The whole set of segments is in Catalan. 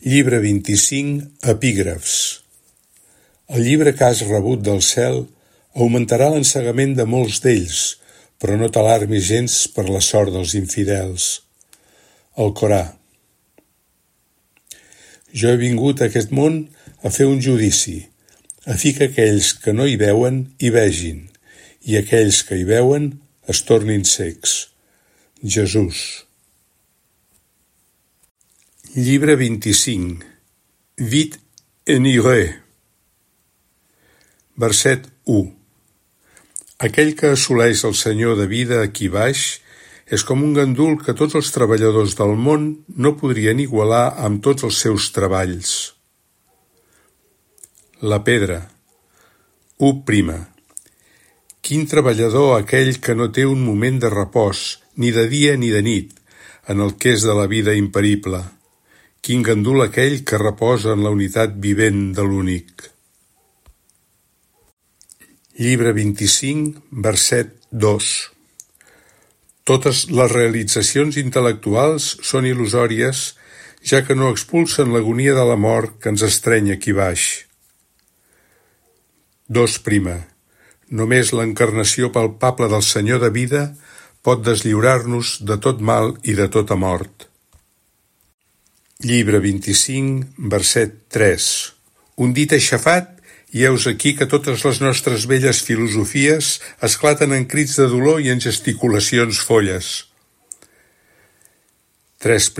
Llibre 25, epígrafs. El llibre que has rebut del cel augmentarà l'ensegament de molts d'ells, però no t'alarmis gens per la sort dels infidels. El Corà. Jo he vingut a aquest món a fer un judici, a fi que aquells que no hi veuen hi vegin, i aquells que hi veuen es tornin cecs. Jesús. Llibre 25. Vite en ire. Verset 1. Aquell que assoleix el Senyor de vida aquí baix és com un gandul que tots els treballadors del món no podrien igualar amb tots els seus treballs. La pedra. 1. Quin treballador aquell que no té un moment de repòs, ni de dia ni de nit, en el que és de la vida imperible. Quin gandul aquell que reposa en la unitat vivent de l'únic. Llibre 25, verset 2. Totes les realitzacions intel·lectuals són il·lusòries, ja que no expulsen l'agonia de la mort que ens estreny aquí baix. 2. Només l'encarnació palpable del Senyor de vida pot deslliurar-nos de tot mal i de tota mort. Llibre 25, verset 3. Un dit aixafat, i heus aquí que totes les nostres velles filosofies esclaten en crits de dolor i en gesticulacions folles. 3.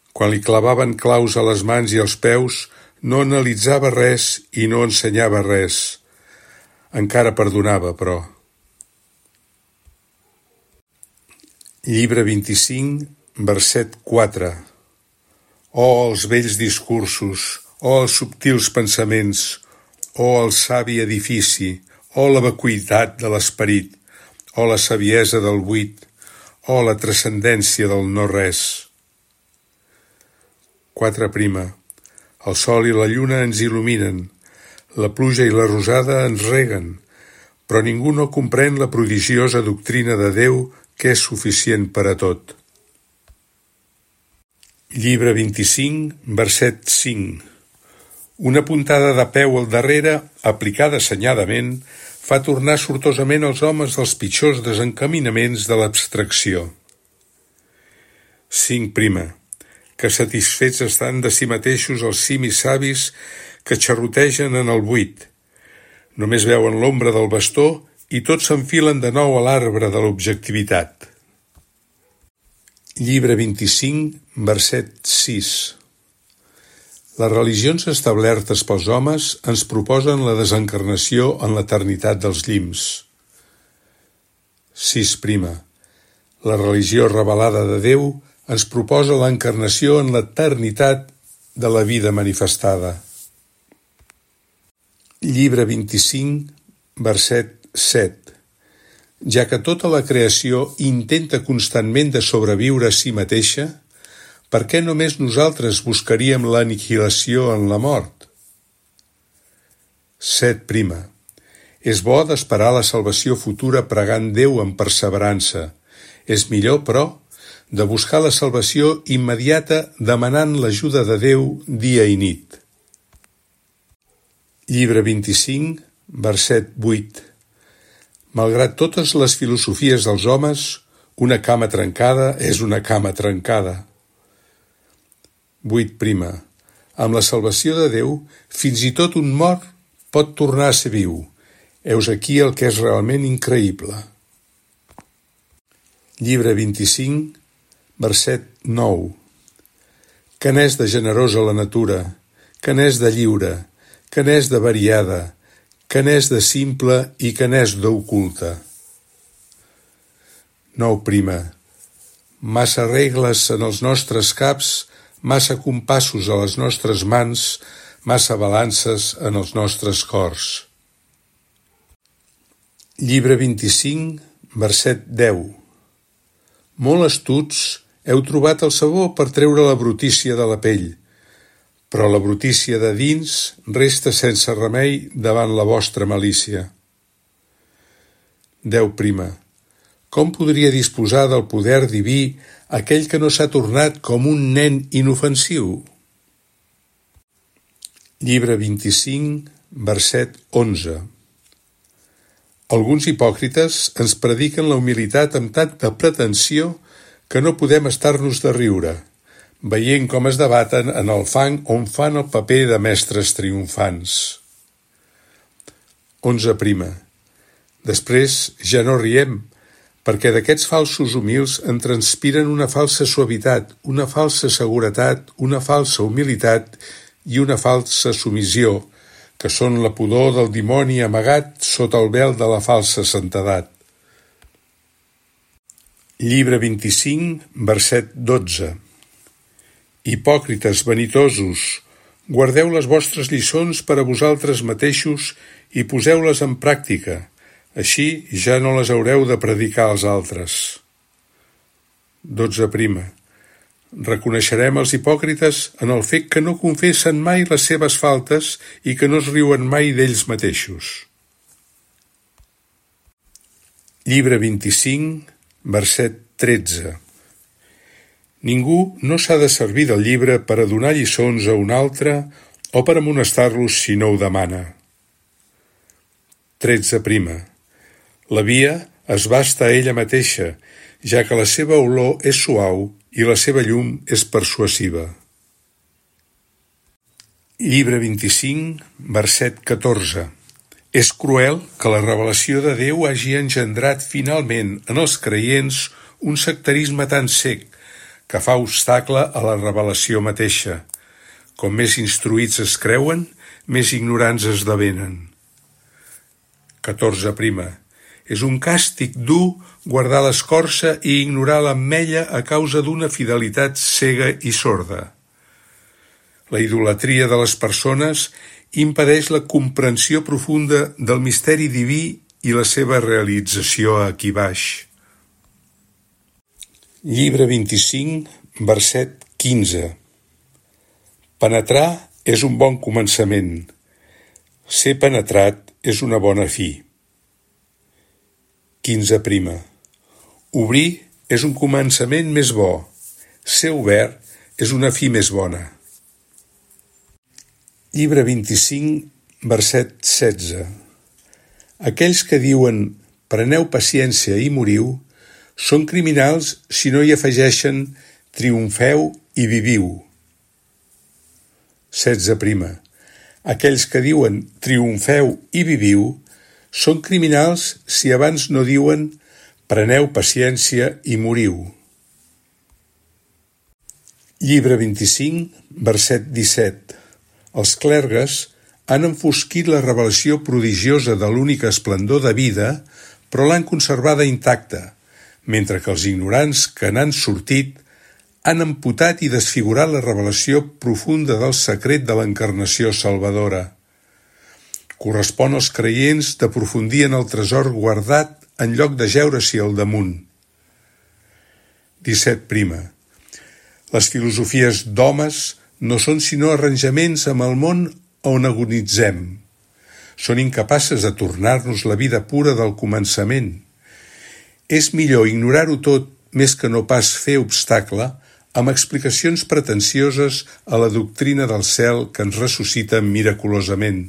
Quan li clavaven claus a les mans i als peus, no analitzava res i no ensenyava res. Encara perdonava, però. Llibre 25, verset 4. Oh, els vells discursos, oh, els subtils pensaments, oh, el savi edifici, oh, la vacuïtat de l'esperit, oh, la saviesa del buit, oh, la transcendència del no-res. 4. El sol i la lluna ens il·luminen, la pluja i la rosada ens reguen, però ningú no comprèn la prodigiosa doctrina de Déu que és suficient per a tot. Llibre 25, verset 5. Una puntada de peu al darrere, aplicada assenyadament, fa tornar sortosament els homes dels pitjors desencaminaments de l'abstracció. 5. Que satisfets estan de si mateixos els simis savis que xerrotegen en el buit. Només veuen l'ombra del bastó i tots s'enfilen de nou a l'arbre de l'objectivitat. Llibre 25, verset 6. Les religions establertes pels homes ens proposen la desencarnació en l'eternitat dels llims. 6. La religió revelada de Déu ens proposa l'encarnació en l'eternitat de la vida manifestada. Llibre 25, verset 7. Ja que tota la creació intenta constantment de sobreviure a si mateixa, per què només nosaltres buscaríem l'aniquilació en la mort? 7. És bo d'esperar la salvació futura pregant Déu amb perseverança. És millor, però, de buscar la salvació immediata demanant l'ajuda de Déu dia i nit. Llibre 25, verset 8. Malgrat totes les filosofies dels homes, una cama trencada és una cama trencada. 8. Amb la salvació de Déu, fins i tot un mort pot tornar a ser viu. Heus aquí el que és realment increïble. Llibre 25, verset 9. Que n'és de generosa la natura, que n'és de lliure, que n'és de variada, que n'és de simple i que n'és d'oculta. 9. Massa regles en els nostres caps, massa compassos a les nostres mans, massa balances en els nostres cors. Llibre 25, verset 10. Molt astuts, heu trobat el sabó per treure la brutícia de la pell, però la brutícia de dins resta sense remei davant la vostra malícia. 10. Com podria disposar del poder diví aquell que no s'ha tornat com un nen inofensiu? Llibre 25, verset 11. Alguns hipòcrites ens prediquen la humilitat amb tanta pretensió que no podem estar-nos de riure, veient com es debaten en el fang on fan el paper de mestres triomfants. 11. Després ja no riem, perquè d'aquests falsos humils en transpiren una falsa suavitat, una falsa seguretat, una falsa humilitat i una falsa submissió, que són la pudor del dimoni amagat sota el vel de la falsa santedat. Llibre 25, verset 12. Hipòcrites vanitosos, guardeu les vostres lliçons per a vosaltres mateixos i poseu-les en pràctica, així ja no les haureu de predicar als altres. 12. Reconeixerem els hipòcrites en el fet que no confessen mai les seves faltes i que no es riuen mai d'ells mateixos. Llibre 25, verset 13. Ningú no s'ha de servir del llibre per a donar lliçons a un altre o per amonestar-los si no ho demana. 13. La via es basta a ella mateixa, ja que la seva olor és suau i la seva llum és persuasiva. Llibre 25, verset 14. És cruel que la revelació de Déu hagi engendrat finalment en els creients un sectarisme tan cec que fa obstacle a la revelació mateixa. Com més instruïts es creuen, més ignorants esdevenen. 14. És un càstig dur guardar l'escorça i ignorar l'ametlla a causa d'una fidelitat cega i sorda. La idolatria de les persones impedeix la comprensió profunda del misteri diví i la seva realització aquí baix. Llibre 25, verset 15. Penetrar és un bon començament. Ser penetrat és una bona fi. 15. Obrir és un començament més bo. Ser obert és una fi més bona. Llibre 25, verset 16. Aquells que diuen «preneu paciència i moriu» són criminals si no hi afegeixen «triomfeu i viviu». 16. Aquells que diuen «triomfeu i viviu» són criminals si abans no diuen «preneu paciència i moriu». Llibre 25, verset 17. Els clergues han enfosquit la revelació prodigiosa de l'única esplendor de vida, però l'han conservada intacta, mentre que els ignorants que n'han sortit han amputat i desfigurat la revelació profunda del secret de l'encarnació salvadora. Correspon als creients d'aprofundir en el tresor guardat en lloc de jeure-s'hi al damunt. 17. Les filosofies d'homes no són sinó arranjaments amb el món on agonitzem. Són incapaces de tornar-nos la vida pura del començament. És millor ignorar-ho tot més que no pas fer obstacle amb explicacions pretensioses a la doctrina del cel que ens ressuscita miraculosament.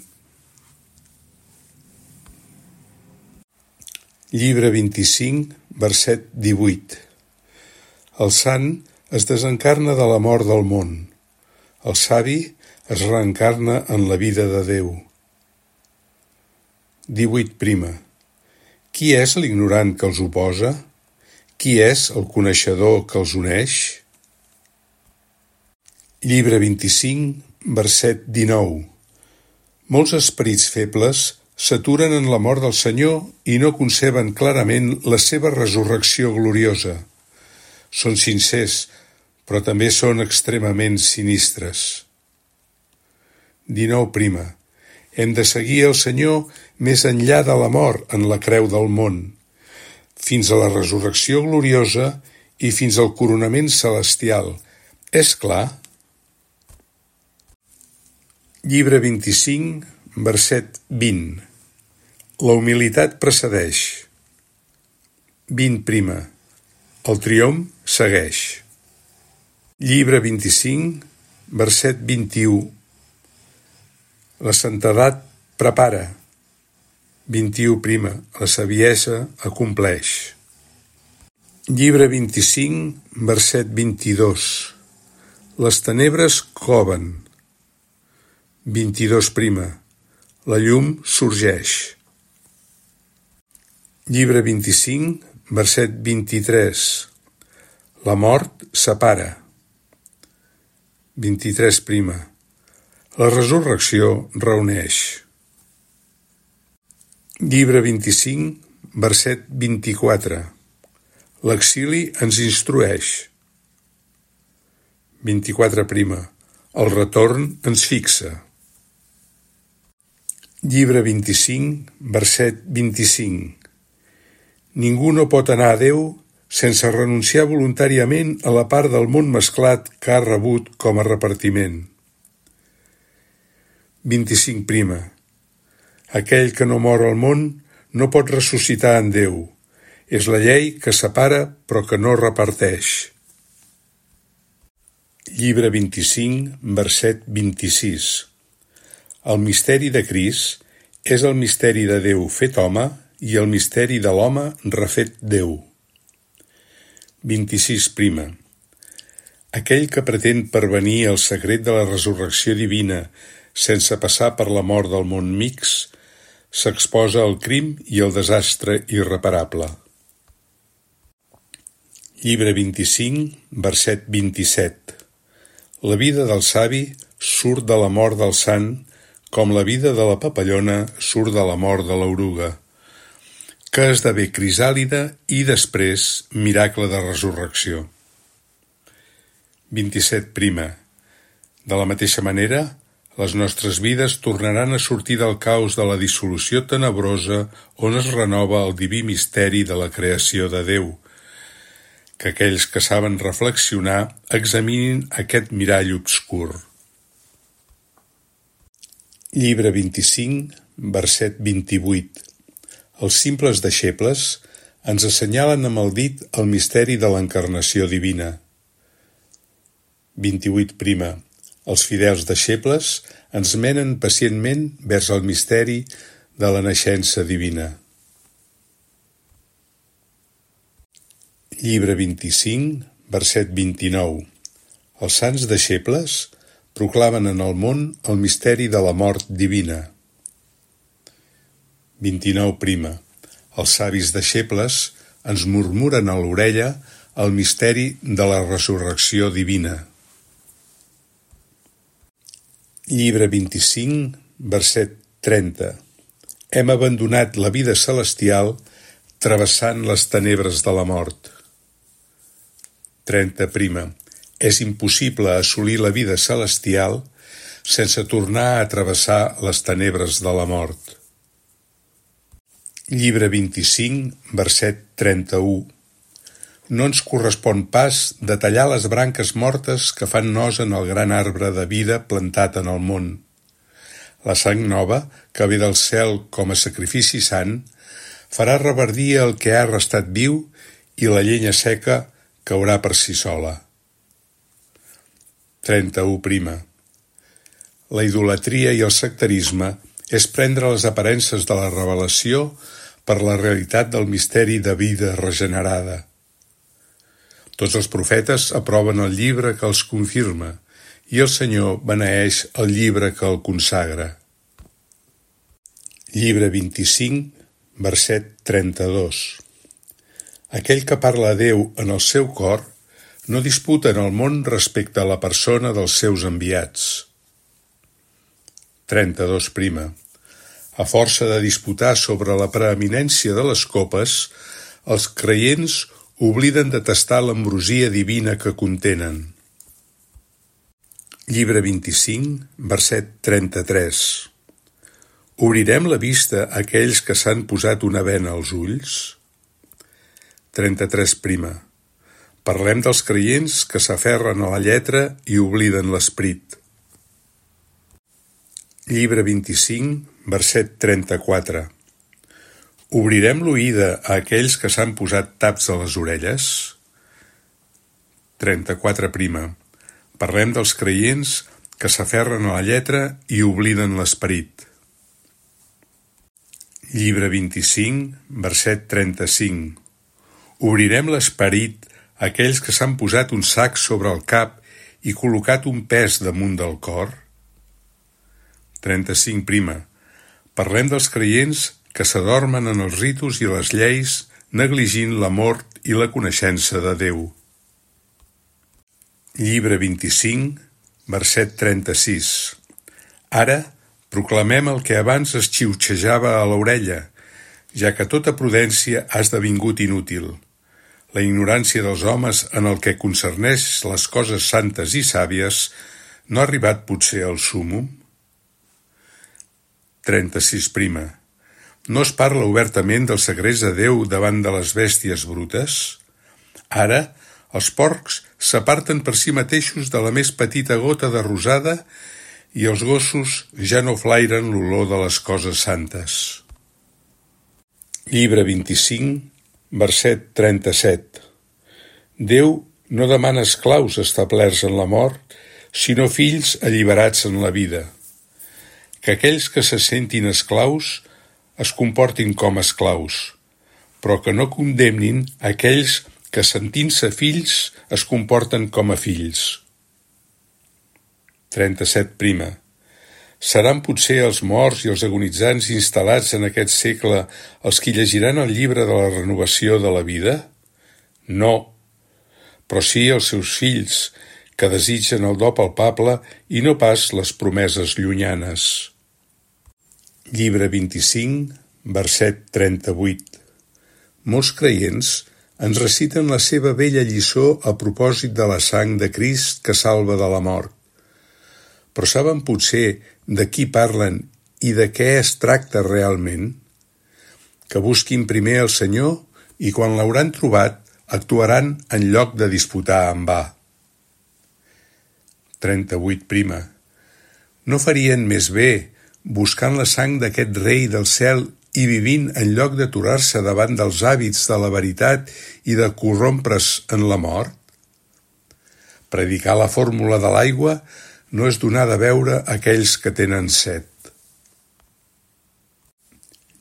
Llibre 25, verset 18. El sant es desencarna de la mort del món. El savi es reencarna en la vida de Déu. 18. Qui és l'ignorant que els oposa? Qui és el coneixedor que els uneix? Llibre 25, verset 19. Molts esperits febles s'aturen en la mort del Senyor i no conceben clarament la seva resurrecció gloriosa. Són sincers, però també són extremament sinistres. 19. Hem de seguir el Senyor més enllà de la mort en la creu del món, fins a la resurrecció gloriosa i fins al coronament celestial. És clar? Llibre 25, verset 20. La humilitat precedeix. 20. El triomf segueix. Llibre 25, verset 21. La santedat prepara. 21. La saviesa acompleix. Llibre 25, verset 22. Les tenebres coven. 22. La llum sorgeix. Llibre 25, verset 23. La mort separa. 23. La resurrecció reuneix. Llibre 25, verset 24. L'exili ens instrueix. 24. El retorn ens fixa. Llibre 25, verset 25. Ningú no pot anar a Déu sense renunciar voluntàriament a la part del món mesclat que ha rebut com a repartiment. 25. Aquell que no mor al món no pot ressuscitar en Déu. És la llei que separa però que no reparteix. Llibre 25, verset 26. El misteri de Crist és el misteri de Déu fet home i el misteri de l'home refet Déu. 26. Aquell que pretén pervenir al secret de la resurrecció divina sense passar per la mort del món mix, s'exposa al crim i al desastre irreparable. Llibre 25, verset 27. La vida del savi surt de la mort del sant, com la vida de la papallona surt de la mort de l'oruga, que esdevé crisàlida i després miracle de resurrecció. 27. De la mateixa manera, les nostres vides tornaran a sortir del caos de la dissolució tenebrosa on es renova el diví misteri de la creació de Déu. Que aquells que saben reflexionar examinin aquest mirall obscur. Llibre 25, verset 28. Els simples deixebles ens assenyalen amb el dit el misteri de l'encarnació divina. 28. Els fidels deixebles ens menen pacientment vers el misteri de la naixença divina. Llibre 25, verset 29. Els sants deixebles proclamen en el món el misteri de la mort divina. 29. Els savis deixebles ens murmuren a l'orella el misteri de la resurrecció divina. Llibre 25, verset 30. Hem abandonat la vida celestial travessant les tenebres de la mort. 30. És impossible assolir la vida celestial sense tornar a travessar les tenebres de la mort. Llibre 25, verset 31. No ens correspon pas detallar les branques mortes que fan nos en el gran arbre de vida plantat en el món. La sang nova, que ve del cel com a sacrifici sant, farà reverdir el que ha restat viu i la llenya seca caurà per si sola. 31. La idolatria i el sectarisme és prendre les aparences de la revelació per la realitat del misteri de vida regenerada. Tots els profetes aproven el llibre que els confirma i el Senyor beneeix el llibre que el consagra. Llibre 25, verset 32. Aquell que parla a Déu en el seu cor no disputa en el món respecte a la persona dels seus enviats. 32. A força de disputar sobre la preeminència de les copes, els creients obliden de tastar l'ambrosia divina que contenen. Llibre 25, verset 33. Obrirem la vista a aquells que s'han posat una bena als ulls? 33. Parlem dels creients que s'aferren a la lletra i obliden l'esperit. Llibre 25, verset 34. Obrirem l'oïda a aquells que s'han posat taps a les orelles? 34. Parlem dels creients que s'aferren a la lletra i obliden l'esperit. Llibre 25, verset 35. Obrirem l'esperit a aquells que s'han posat un sac sobre el cap i col·locat un pes damunt del cor? 35. Parlem dels creients que s'adormen en els ritus i les lleis, negligint l'amor i la coneixença de Déu. Llibre 25, verset 36. Ara proclamem el que abans es xiuxejava a l'orella, ja que tota prudència ha esdevingut inútil. La ignorància dels homes en el que concerneix les coses santes i sàvies no ha arribat potser al súmmum? 36. No es parla obertament dels secrets de Déu davant de les bèsties brutes? Ara, els porcs s'aparten per si mateixos de la més petita gota de rosada i els gossos ja no flairen l'olor de les coses santes. Llibre 25, verset 37. Déu no demana esclaus establerts en la mort, sinó fills alliberats en la vida. Que aquells que se sentin esclaus es comportin com esclaus, però que no condemnin aquells que sentint-se fills es comporten com a fills. 37. Seran potser els morts i els agonitzants instal·lats en aquest segle els qui llegiran el llibre de la renovació de la vida? No, però sí els seus fills, que desitgen el do palpable i no pas les promeses llunyanes. Llibre 25, verset 38. Molts creients ens reciten la seva vella lliçó a propòsit de la sang de Crist que salva de la mort. Però saben potser de qui parlen i de què es tracta realment? Que busquin primer el Senyor i quan l'hauran trobat actuaran en lloc de disputar en va. 38. No farien més bé buscant la sang d'aquest rei del cel i vivint en lloc d'aturar-se davant dels hàbits de la veritat i de corrompre's en la mort? Predicar la fórmula de l'aigua no és donar de beure a aquells que tenen set.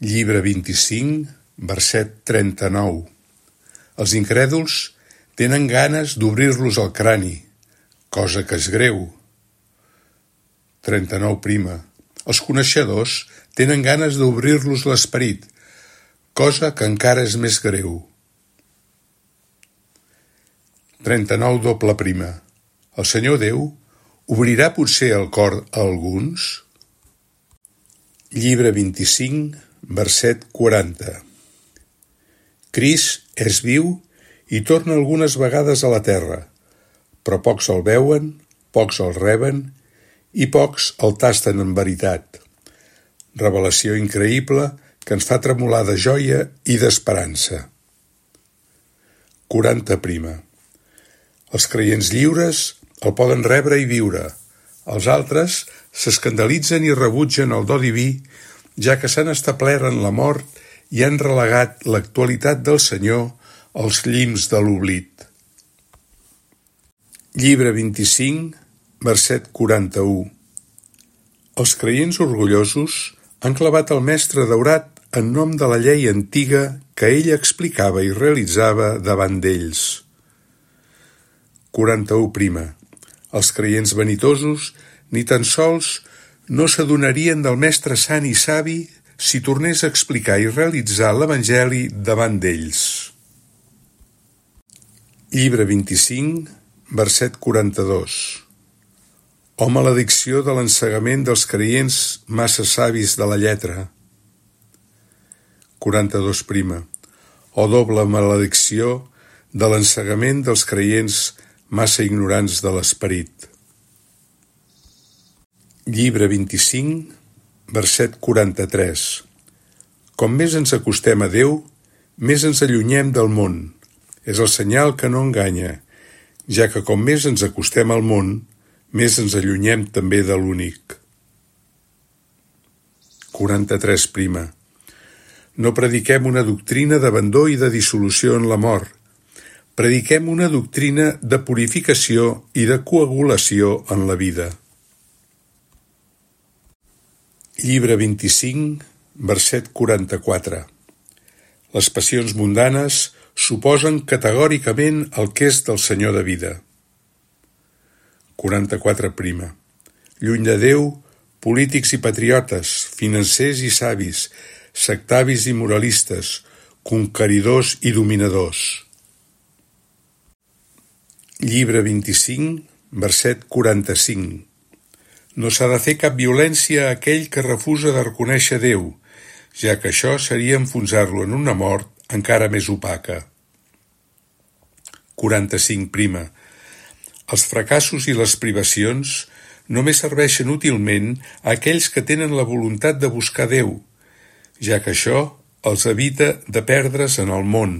Llibre 25, verset 39. Els incrèduls tenen ganes d'obrir-los el crani, cosa que és greu. 39. Els coneixedors tenen ganes d'obrir-los l'esperit, cosa que encara és més greu. 39. El Senyor Déu obrirà potser el cor a alguns? Llibre 25, verset 40. Crist és viu i torna algunes vegades a la terra, però pocs el veuen, pocs el reben i pocs el tasten en veritat. Revelació increïble que ens fa tremolar de joia i d'esperança. 40. Els creients lliures el poden rebre i viure. Els altres s'escandalitzen i rebutgen el do diví, ja que s'han establert en la mort i han relegat l'actualitat del Senyor als llims de l'oblit. Llibre 25, verset 41. Els creients orgullosos han clavat el mestre daurat en nom de la llei antiga que ell explicava i realitzava davant d'ells. 41. Els creients vanitosos ni tan sols no s'adonarien del mestre sant i savi si tornés a explicar i realitzar l'Evangeli davant d'ells. Llibre 25, verset 42. O maledicció de l'ensegament dels creients massa savis de la lletra. 42. O doble maledicció de l'ensegament dels creients massa ignorants de l'esperit. Llibre 25, verset 43. Com més ens acostem a Déu, més ens allunyem del món. És el senyal que no enganya, ja que com més ens acostem al món, més ens allunyem també de l'únic. 43. No prediquem una doctrina d'abandó i de dissolució en la mort. Prediquem una doctrina de purificació i de coagulació en la vida. Llibre 25, verset 44. Les passions mundanes suposen categòricament el que és del Senyor de vida. 44 prima. Lluny de Déu, polítics i patriotes, financers i savis, sectavis i moralistes, conqueridors i dominadors. Llibre 25, verset 45. No s'ha de fer cap violència a aquell que refusa de reconèixer Déu, ja que això seria enfonsar-lo en una mort encara més opaca. 45 prima. Els fracassos i les privacions només serveixen útilment a aquells que tenen la voluntat de buscar Déu, ja que això els evita de perdre's en el món.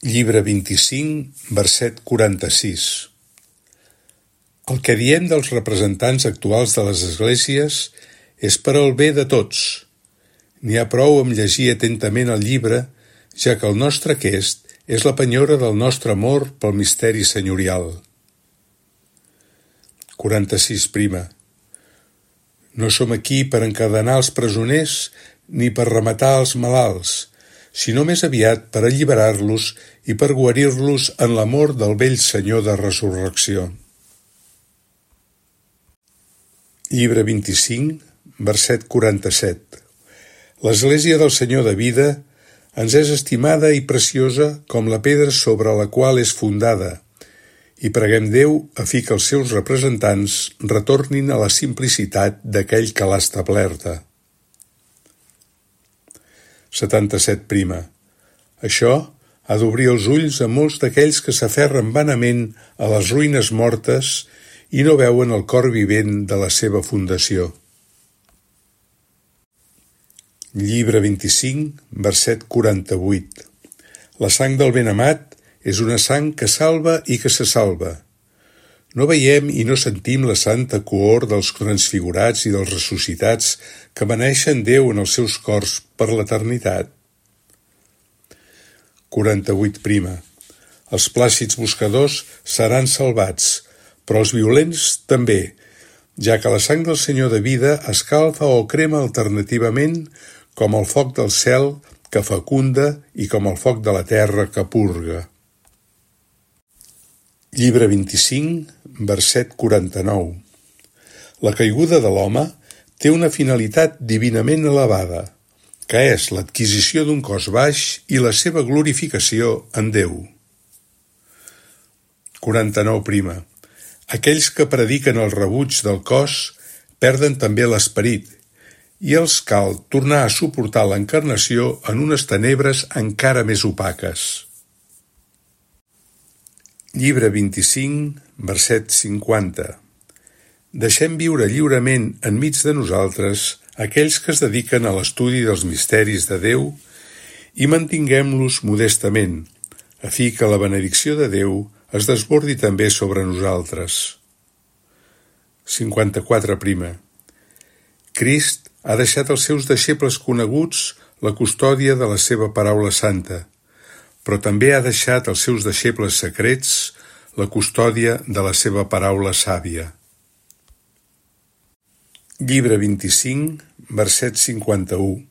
Llibre 25, verset 46. El que diem dels representants actuals de les esglésies és per al bé de tots. N'hi ha prou amb llegir atentament el llibre, ja que el nostre aquest és la penyora del nostre amor pel misteri senyorial. 46 prima. No som aquí per encadenar els presoners ni per rematar els malalts, sinó més aviat per alliberar-los i per guarir-los en l'amor del vell Senyor de resurrecció. Llibre 25, verset 47. L'Església del Senyor de vida ens és estimada i preciosa com la pedra sobre la qual és fundada, i preguem Déu a fi que els seus representants retornin a la simplicitat d'aquell que l'ha establerta. 77 prima. Això ha d'obrir els ulls a molts d'aquells que s'aferren vanament a les ruïnes mortes i no veuen el cor vivent de la seva fundació. Llibre 25, verset 48. La sang del benamat és una sang que salva i que se salva. No veiem i no sentim la santa cohort dels transfigurats i dels ressuscitats que beneixen Déu en els seus cors per l'eternitat. 48 prima. Els plàcids buscadors seran salvats, però els violents també, ja que la sang del Senyor de vida escalfa o crema alternativament com el foc del cel que fecunda i com el foc de la terra que purga. Llibre 25, verset 49. La caiguda de l'home té una finalitat divinament elevada, que és l'adquisició d'un cos baix i la seva glorificació en Déu. 49 prima. Aquells que prediquen el rebuig del cos perden també l'esperit, i els cal tornar a suportar l'encarnació en unes tenebres encara més opaques. Llibre 25, verset 50. Deixem viure lliurement enmig de nosaltres aquells que es dediquen a l'estudi dels misteris de Déu i mantinguem-los modestament, a fi que la benedicció de Déu es desbordi també sobre nosaltres. 54 prima. Crist ha deixat als seus deixebles coneguts la custòdia de la seva paraula santa, però també ha deixat als seus deixebles secrets la custòdia de la seva paraula sàvia. Llibre 25, verset 51.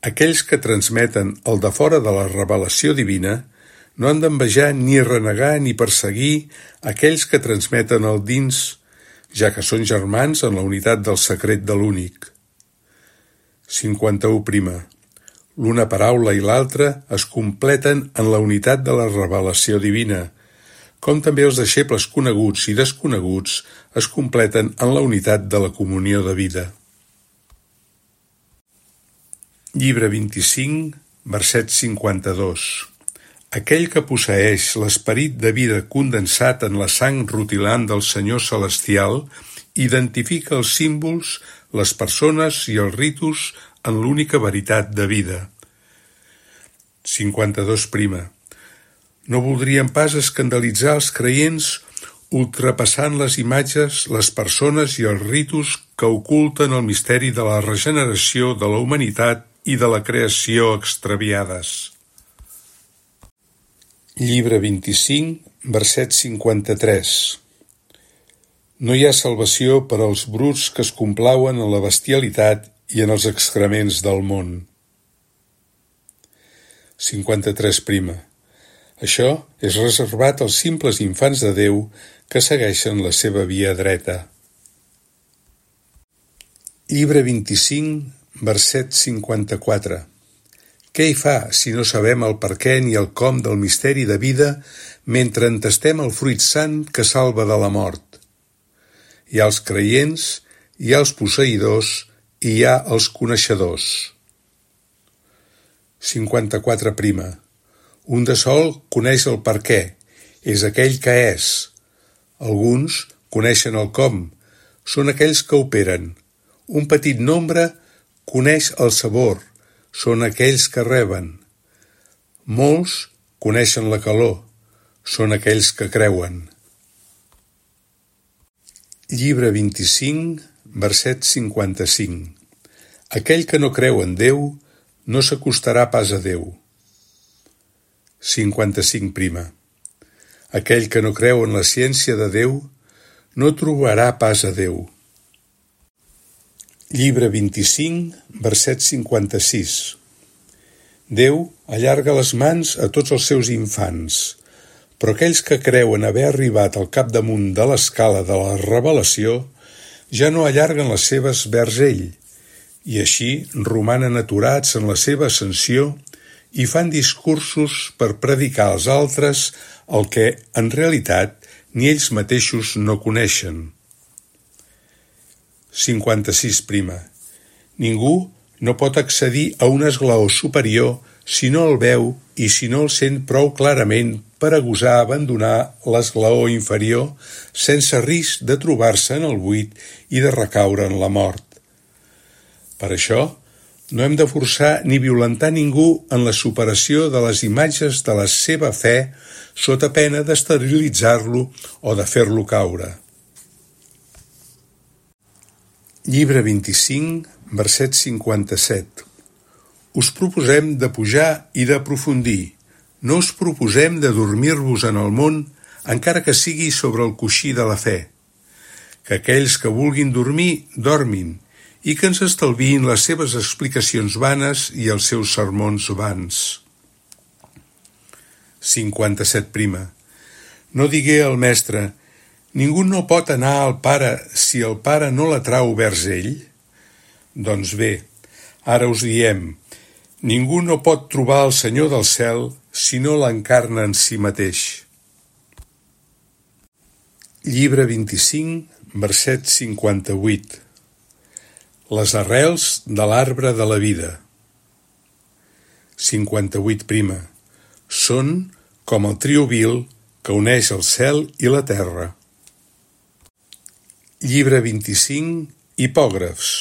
Aquells que transmeten el de fora de la revelació divina no han d'envejar ni renegar ni perseguir aquells que transmeten el dins, ja que són germans en la unitat del secret de l'únic. 51 prima. L'una paraula i l'altra es completen en la unitat de la revelació divina, com també els deixebles coneguts i desconeguts es completen en la unitat de la comunió de vida. Llibre 25, verset 52. Aquell que posseeix l'esperit de vida condensat en la sang rutilant del Senyor Celestial identifica els símbols, les persones i els ritus en l'única veritat de vida. 52 prima. No voldrien pas escandalitzar els creients ultrapassant les imatges, les persones i els ritus que oculten el misteri de la regeneració de la humanitat i de la creació extraviades. Llibre 25, verset 53. No hi ha salvació per als bruts que es complauen en la bestialitat i en els excrements del món. 53. Això és reservat als simples infants de Déu que segueixen la seva via dreta. Llibre 25, verset 54. Què hi fa si no sabem el per què ni el com del misteri de vida mentre entestem el fruit sant que salva de la mort? Hi ha els creients, hi ha els posseïdors i hi ha els coneixedors. 54. Un de sol coneix el per què, és aquell que és. Alguns coneixen el com, són aquells que operen. Un petit nombre coneix el sabor, són aquells que reben. Molts coneixen la calor, són aquells que creuen. Llibre 25, verset 55. Aquell que no creu en Déu no s'acostarà pas a Déu. 55. Aquell que no creu en la ciència de Déu no trobarà pas a Déu. Llibre 25, verset 56. Déu allarga les mans a tots els seus infants, però aquells que creuen haver arribat al capdamunt de l'escala de la revelació ja no allarguen les seves vers ell, i així romanen aturats en la seva ascensió i fan discursos per predicar als altres el que, en realitat, ni ells mateixos no coneixen. 56. Ningú no pot accedir a un esglaó superior si no el veu i si no el sent prou clarament per a gosar abandonar l'esglaó inferior sense risc de trobar-se en el buit i de recaure en la mort. Per això, no hem de forçar ni violentar ningú en la superació de les imatges de la seva fe sota pena d'esterilitzar-lo o de fer-lo caure. Llibre 25, verset 57. Us proposem de pujar i d'aprofundir. No us proposem de dormir-vos en el món, encara que sigui sobre el coixí de la fe. Que aquells que vulguin dormir, dormin, i que ens estalviïn les seves explicacions vanes i els seus sermons vans. 57. No digué el mestre: ningú no pot anar al Pare si el Pare no l'atrau vers ell? Doncs bé, ara us diem, ningú no pot trobar el Senyor del cel si no l'encarna en si mateix. Llibre 25, verset 58. Les arrels de l'arbre de la vida. 58. Són com el trio vil que uneix el cel i la terra. Llibre 25, hipògrafs.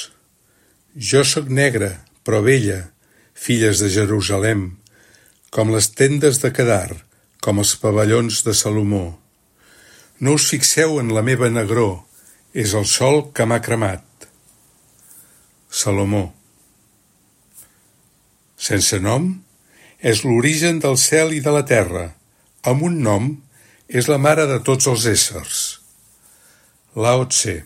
Jo sóc negra, però bella, filles de Jerusalem, com les tendes de Quedar, com els pavellons de Salomó. No us fixeu en la meva negror, és el sol que m'ha cremat. Salomó. Sense nom, és l'origen del cel i de la terra. Amb un nom, és la mare de tots els éssers. Lao Tse.